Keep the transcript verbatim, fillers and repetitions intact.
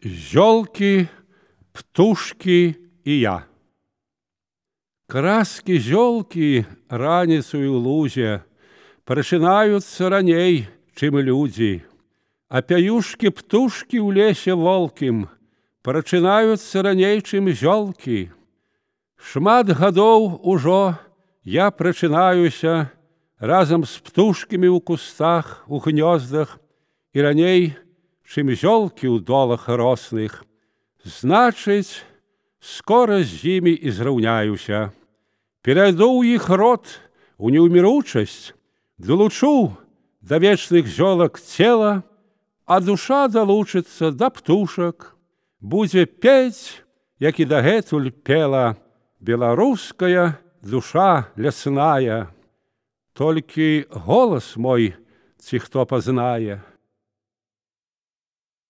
Зёлки, птушки и я. Краски зёлки раніцою ў лузе прачынаюцца раней, чым людзі, а пяюшкі птушкі ў лесе волкім прачынаюцца раней, чым зёлкі. Шмат гадоў ужо я прачынаюся разам з птушкамі ў кустах, у гнёздах і раней, чым зёлкі ў долах росных. Значыць, скора з імі і зраўняюся. Перайду ў іх род, у неўміручасць, далучу да вечных зёлак цела, а душа далучыцца да птушак, будзе пець, як і дагэтуль пела беларуская душа лясная. Толькі голас мой ці хто пазнае.